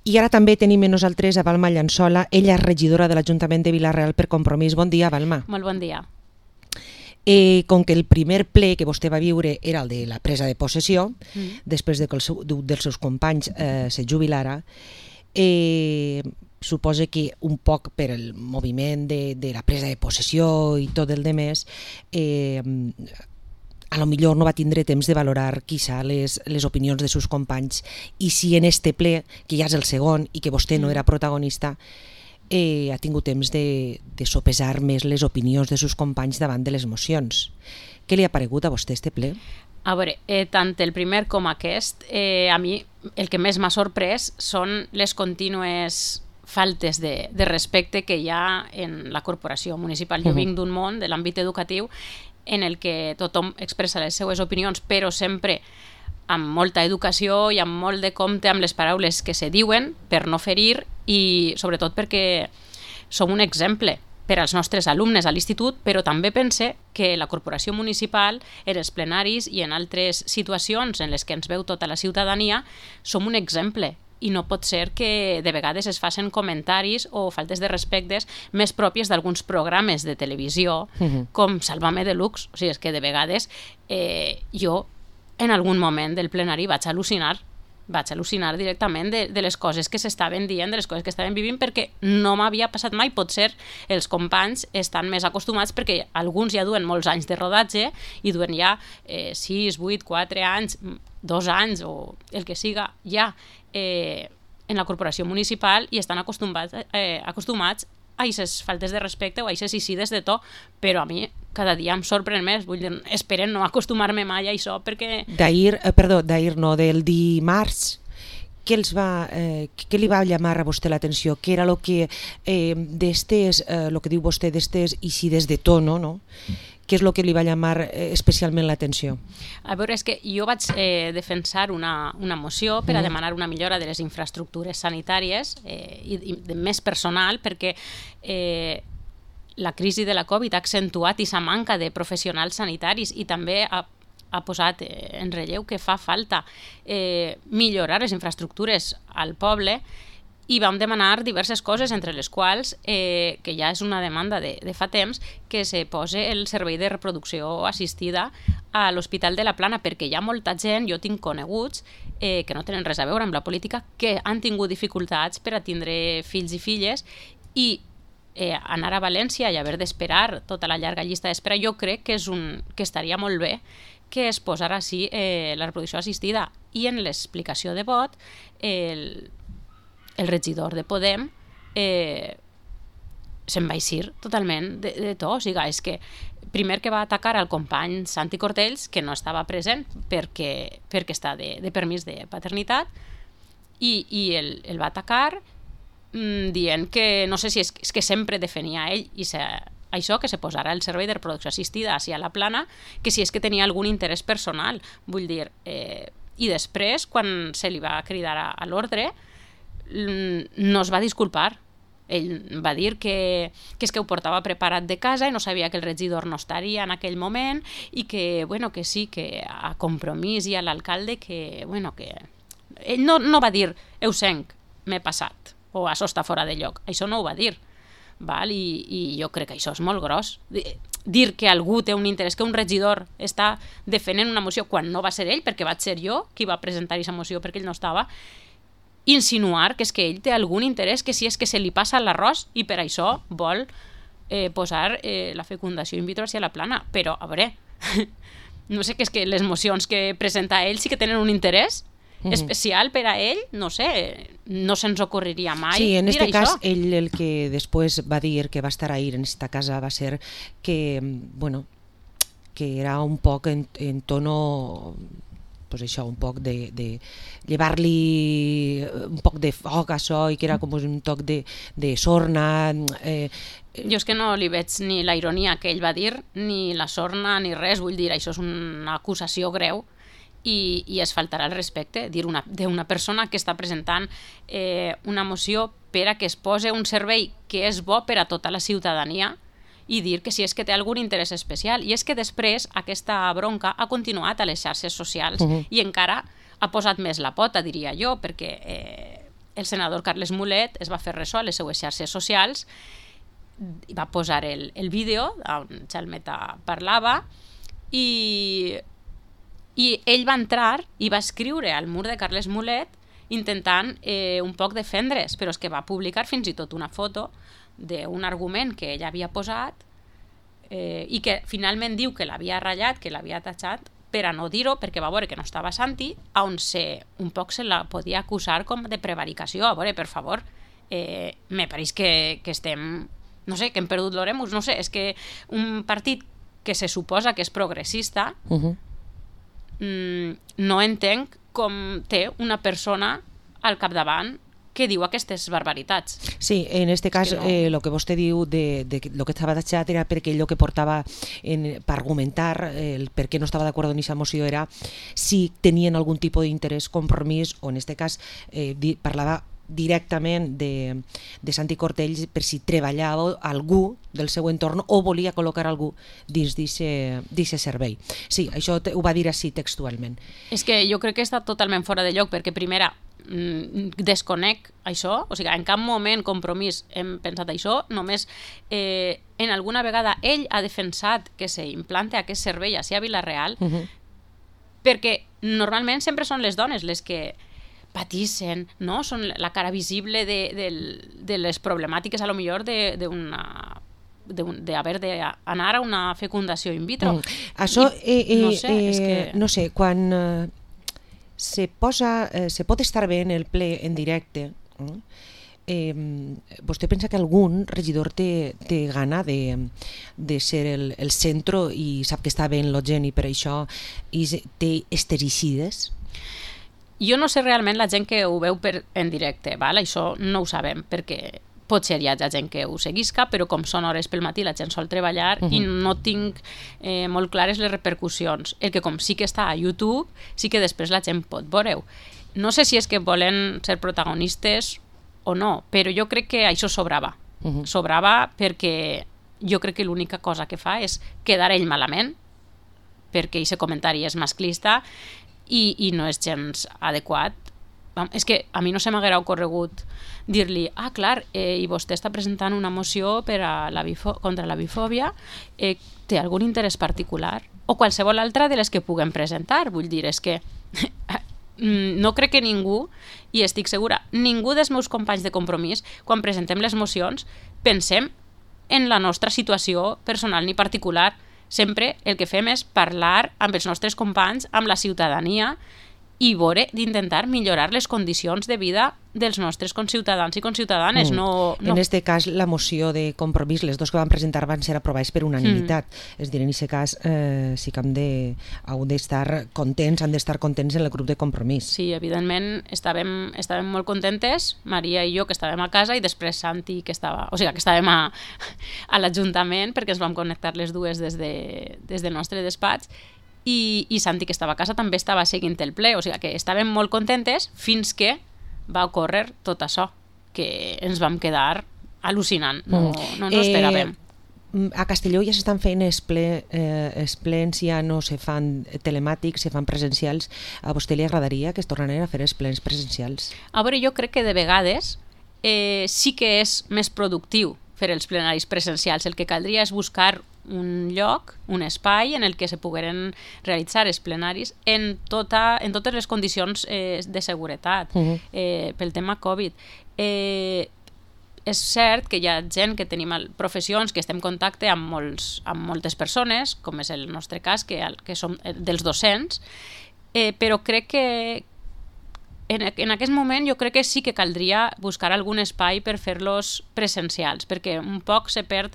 I ara també tenim amb nosaltres a Balma Llançola, ella és regidora de l'Ajuntament de Vila-real per Compromís. Bon dia, Balma. Molt bon dia. Com que el primer ple que vostè va viure era el de la presa de possessió, després de que dels seus companys se jubilara, suposa que un poc per el moviment de la presa de possessió i tot el demés, a lo millor no va tindre temps de valorar quizá les opinions dels seus companys, i si en este ple, que ja és el segon i que vostè no era protagonista, ha tingut temps de sopesar més les opinions de seus companys davant de les mocions. Què li ha paregut a vostè este ple? A veure, tant el primer com aquest, a mi el que més m'ha sorprès són les contínues faltes de respecte que hi ha en la corporació municipal. Jo vinc d'un món, de l'àmbit educatiu, en el que tothom expressa les seues opinions, però sempre amb molta educació i amb molt de compte amb les paraules que se diuen per no ferir, i sobretot perquè som un exemple per als nostres alumnes a l'institut, però també pense que la corporació municipal, en els plenaris i en altres situacions en les que ens veu tota la ciutadania, som un exemple. I no pot ser que de vegades es facin comentaris o faltes de respectes més pròpies d'alguns programes de televisió, com Sálvame Deluxe. O sigui, és que de vegades jo en algun moment del plenari vaig al·lucinar directament de les coses que s'estaven dient, de les coses que estaven vivint, perquè no m'havia passat mai. Potser els companys estan més acostumats perquè alguns ja duen molts anys de rodatge i duen ja 6, 8, 4 anys, 2 anys o el que siga ja en la corporació municipal i estan acostumats a aquestes faltes de respecte o a aquestes eixides de to, però a mi cada dia em sorprèn més. Vull dir, esperen no acostumar-me mai a això perquè... Del dimarts, què li va llamar a vostè l'atenció? Què era el que diu vostè d'estes eixides de to, no? Què és el que li va llamar especialment l'atenció? A veure, és que jo vaig defensar una moció per a demanar una millora de les infraestructures sanitàries i de més personal, perquè la crisi de la Covid ha accentuat aquesta manca de professionals sanitaris i també ha posat en relleu que fa falta millorar les infraestructures al poble, i vam demanar diverses coses, entre les quals, que ja és una demanda de fa temps, que se posi el servei de reproducció assistida a l'Hospital de la Plana, perquè hi ha molta gent, jo tinc coneguts, que no tenen res a veure amb la política, que han tingut dificultats per a tindre fills i filles, i anar a València i haver d'esperar tota la llarga llista d'espera, jo crec que estaria molt bé que es posara així la reproducció assistida. I en l'explicació de vot, el regidor de Podem se'n va eixir totalment de to. O sigui, és que primer que va atacar al company Santi Cortells, que no estava present perquè està de permís de paternitat, i el va atacar dient que, no sé si és que sempre defenia ell això, que se posarà el servei de reproducció assistida a la Plana, que si és que tenia algun interès personal. Vull dir, i després, quan se li va cridar a l'ordre, no es va disculpar. Ell va dir que és que ho portava preparat de casa i no sabia que el regidor no estaria en aquell moment i que, bueno, que sí, que a Compromís i a l'alcalde que, bueno, que... Ell no va dir, eusenc, m'he passat, o això està fora de lloc. Això no ho va dir. Val? I jo crec que això és molt gros. Dir que algú té un interès, que un regidor està defendent una moció quan no va ser ell, perquè vaig ser jo qui va presentar aquesta moció perquè ell no estava, insinuar que és que ell té algun interès, que si és que se li passa l'arròs i per això vol posar la fecundació in vitro a la Plana. Però, a veure, no sé, que és que les mocions que presenta ell sí que tenen un interès especial per a ell, no sé, no se'ns ocorreria mai dir això. Sí, en aquest cas, ell el que després va dir que va estar ahir en esta casa va ser que, bueno, que era un poc en tono... pues això, un poc de llevar-li un poc de foc a això, i que era com un toc de sorna. Jo és que no li veig ni la ironia que ell va dir, ni la sorna, ni res. Vull dir, això és una acusació greu i es faltarà el respecte dir d'una persona que està presentant una moció per a que es posi un servei que és bo per a tota la ciutadania, i dir que si és que té algun interès especial. I és que després aquesta bronca ha continuat a les xarxes socials i encara ha posat més la pota, diria jo, perquè el senador Carles Mulet es va fer ressò a les seues xarxes socials i va posar el vídeo on Chalmeta parlava i ell va entrar i va escriure al mur de Carles Mulet intentant un poc defendre's, però és que va publicar fins i tot una foto d'un argument que ell havia posat i que finalment diu que l'havia ratllat, que l'havia tatxat, per a no dir-ho, perquè va veure que no estava Santi, on un poc se la podia acusar com de prevaricació. A veure, per favor, me pareix que estem... No sé, que hem perdut l'oremus, no sé, és que un partit que se suposa que és progressista no entenc com té una persona al capdavant que diu aquestes barbaritats. Sí, en este cas, lo que vostè diu de lo que estava tatxat era perquè ell el que portava per argumentar el per què no estava d'acord amb aquesta moció era si tenien algun tipus d'interès, compromís, o en este cas parlava directament de Santi Cortells per si treballava algú del seu entorn o volia col·locar algú dins d'aquest servei. Sí, això ho va dir així textualment. És que jo crec que està totalment fora de lloc, perquè primera, desconec això, o sigui, en cap moment Compromís hem pensat això, només en alguna vegada ell ha defensat que s'implante aquest servei a Vila-real, perquè normalment sempre són les dones les que patissen, no? Són la cara visible de les problemàtiques a lo millor d'haver d'anar a una fecundació in vitro. Això, no sé, és que... no sé, quan se pot estar bé en el ple en directe, vostè pensa que algun regidor té gana de ser el centre i sap que està bé en la gent i per això té estericides? Jo no sé realment la gent que ho veu en directe, val? Això no ho sabem, perquè potser hi ha gent que ho seguisca, però com són hores pel matí la gent sol treballar i no tinc molt clares les repercussions. El que com sí que està a YouTube, sí que després la gent pot veure-ho. No sé si és que volen ser protagonistes o no, però jo crec que això sobrava. Sobrava perquè jo crec que l'única cosa que fa és quedar ell malament, perquè aquest comentari és masclista i no és gens adequat. És que a mi no se m'haguera ocorregut dir-li, clar, i vostè està presentant una moció contra la bifòbia, té algun interès particular? O qualsevol altra de les que puguem presentar. Vull dir, és que no crec que ningú, i estic segura, ningú dels meus companys de Compromís, quan presentem les mocions, pensem en la nostra situació personal ni particular. Sempre el que fem és parlar amb els nostres companys, amb la ciutadania, i veure d'intentar millorar les condicions de vida dels nostres conciutadans i conciutadanes. En aquest cas, la moció de Compromís, les dues que van presentar van ser aprovades per unanimitat. És a dir, en aquest cas sí que han d'estar contents en el grup de Compromís. Sí, evidentment, estàvem molt contentes, Maria i jo, que estàvem a casa, i després Santi, que estàvem a l'Ajuntament, perquè ens vam connectar les dues des del nostre despatx, i Santi, que estava a casa, també estava seguint el ple, o sigui que estàvem molt contentes fins que va ocórrer tot això, que ens vam quedar al·lucinant, no ens esperàvem. A Castelló ja s'estan fent els plens, ja no se fan telemàtics, se fan presencials. A vostè li agradaria que es tornaran a fer els plens presencials? A veure, jo crec que de vegades sí que és més productiu fer els plenaris presencials. El que caldria és buscar un lloc, un espai en el que se pogueren realitzar els plenaris en totes les condicions de seguretat pel tema Covid. És cert que hi ha gent que tenim professions que estem en contacte amb moltes persones, com és el nostre cas, que som dels docents, però crec que en aquest moment jo crec que sí que caldria buscar algun espai per fer-los presencials, perquè un poc se perd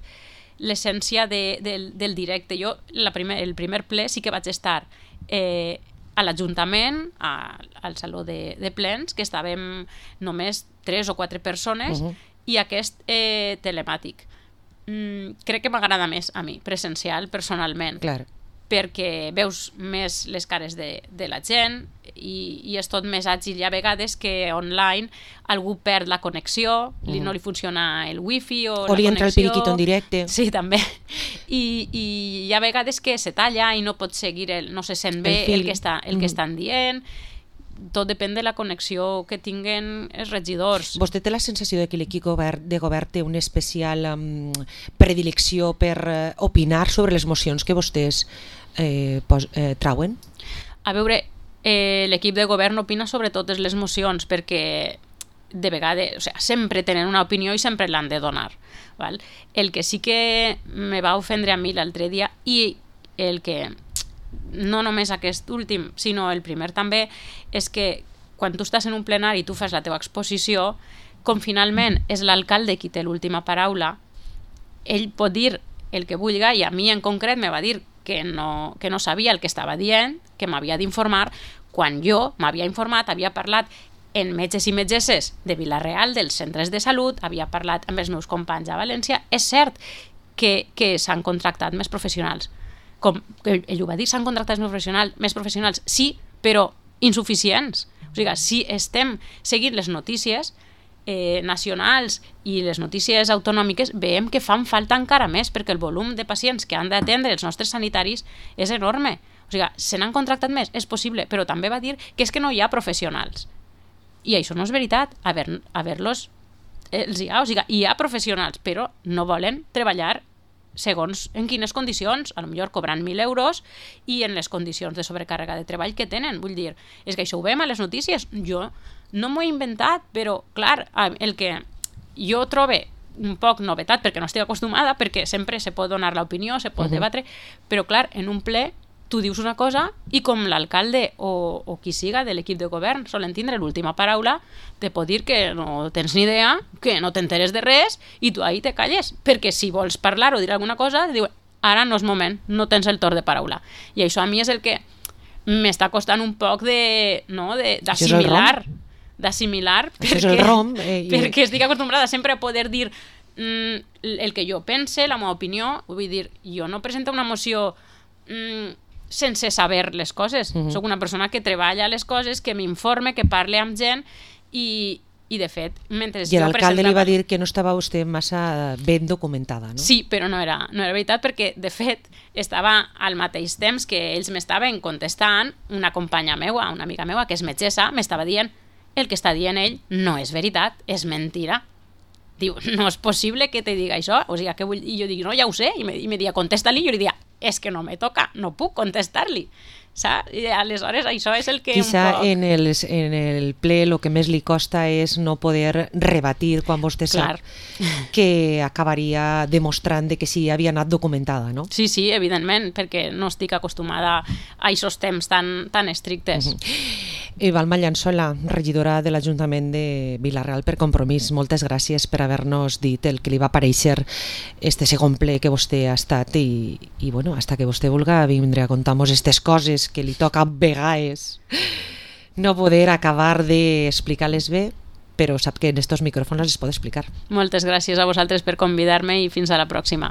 l'essència del directe. Jo el primer ple sí que vaig estar a l'Ajuntament, al Saló de Plens, que estàvem només 3 o 4 persones, i aquest telemàtic. Crec que m'agrada més a mi, presencial, personalment. Clar. Perquè veus més les cares de la gent i és tot més àgil. Hi ha vegades que online algú perd la connexió, no li funciona el wifi o li entra el periquito en directe. Sí, també. I hi ha vegades que se talla i no pot seguir, no se sent bé el que estan dient. tot depèn de la connexió que tinguen els regidors. Vostè té la sensació de que l'equip de govern té una especial predilecció per opinar sobre les mocions que vostès trauen? A veure, l'equip de govern opina sobre totes les mocions perquè de vegades, o sigui, sempre tenen una opinió i sempre l'han de donar. Val? El que sí que me va ofendre a mi l'altre dia, i el que no només aquest últim, sinó el primer també, és que quan tu estàs en un plenari i tu fas la teva exposició, com finalment és l'alcalde qui té l'última paraula, ell pot dir el que vulgui, i a mi en concret me va dir que no sabia el que estava dient, que m'havia d'informar, quan jo m'havia informat, havia parlat en metges i metgesses de Vila-real, dels centres de salut, havia parlat amb els meus companys a València. És cert que s'han contractat més professionals. Com ell ho va dir, s'han contractat més professionals, sí, però insuficients. O sigui, si estem seguint les notícies nacionals i les notícies autonòmiques, veiem que fan falta encara més, perquè el volum de pacients que han d'atendre els nostres sanitaris és enorme. O sigui, se n'han contractat més, és possible, però també va dir que és que no hi ha professionals. I això no és veritat. Haver-los els hi ha. O sigui, hi ha professionals, però no volen treballar segons en quines condicions, a lo millor cobrant 1.000 euros i en les condicions de sobrecàrrega de treball que tenen. Vull dir, és que això ho veiem a les notícies. Jo no m'ho he inventat, però, clar, el que jo trobe un poc novetat, perquè no estic acostumada, perquè sempre se pot donar l'opinió, se pot debatre, però, clar, en un ple tu dius una cosa i com l'alcalde o qui siga de l'equip de govern solen tindre l'última paraula, te pot dir que no tens ni idea, que no t'enteres de res i tu ahí te calles, perquè si vols parlar o dir alguna cosa, diu, ara no és moment, no tens el torn de paraula. I això a mi és el que m'està costant un poc d'assimilar, perquè estic acostumbrada sempre a poder dir el que jo pense, la meva opinió. Vull dir, jo no presento una moció sense saber les coses. Soc una persona que treballa les coses, que m'informe, que parle amb gent i de fet, mentre I l'alcalde li va dir que no estava vostè massa ben documentada, no? Sí, però no era veritat, perquè de fet estava al mateix temps que ells m'estaven contestant, una companya meua, una amiga meua que és metgessa, m'estava dient el que està dient ell no és veritat, és mentira. Diu, no és possible que te diga això. O sigui, què vull? I jo dic, no, ja ho sé. I me dia, contesta-li. I jo li dia, és que no me toca, no puc contestar-li. Saps? I aleshores això és el que... Quizá en el ple el que més li costa és no poder rebatir quan vostè sap que acabaria demostrant que sí havia anat documentada, no? Sí, evidentment, perquè no estic acostumada a aquests temps tan estrictes. Balma Llançola, regidora de l'Ajuntament de Vila-real per Compromís, moltes gràcies per haver-nos dit el que li va parèixer este segon ple que vostè ha estat i bueno, hasta que vostè vulga vindre a contar-nos aquestes coses que li toca a vegades no poder acabar d'explicar-les bé, però sap que en estos micròfons les pot explicar. Moltes gràcies a vosaltres per convidar-me i fins a la pròxima.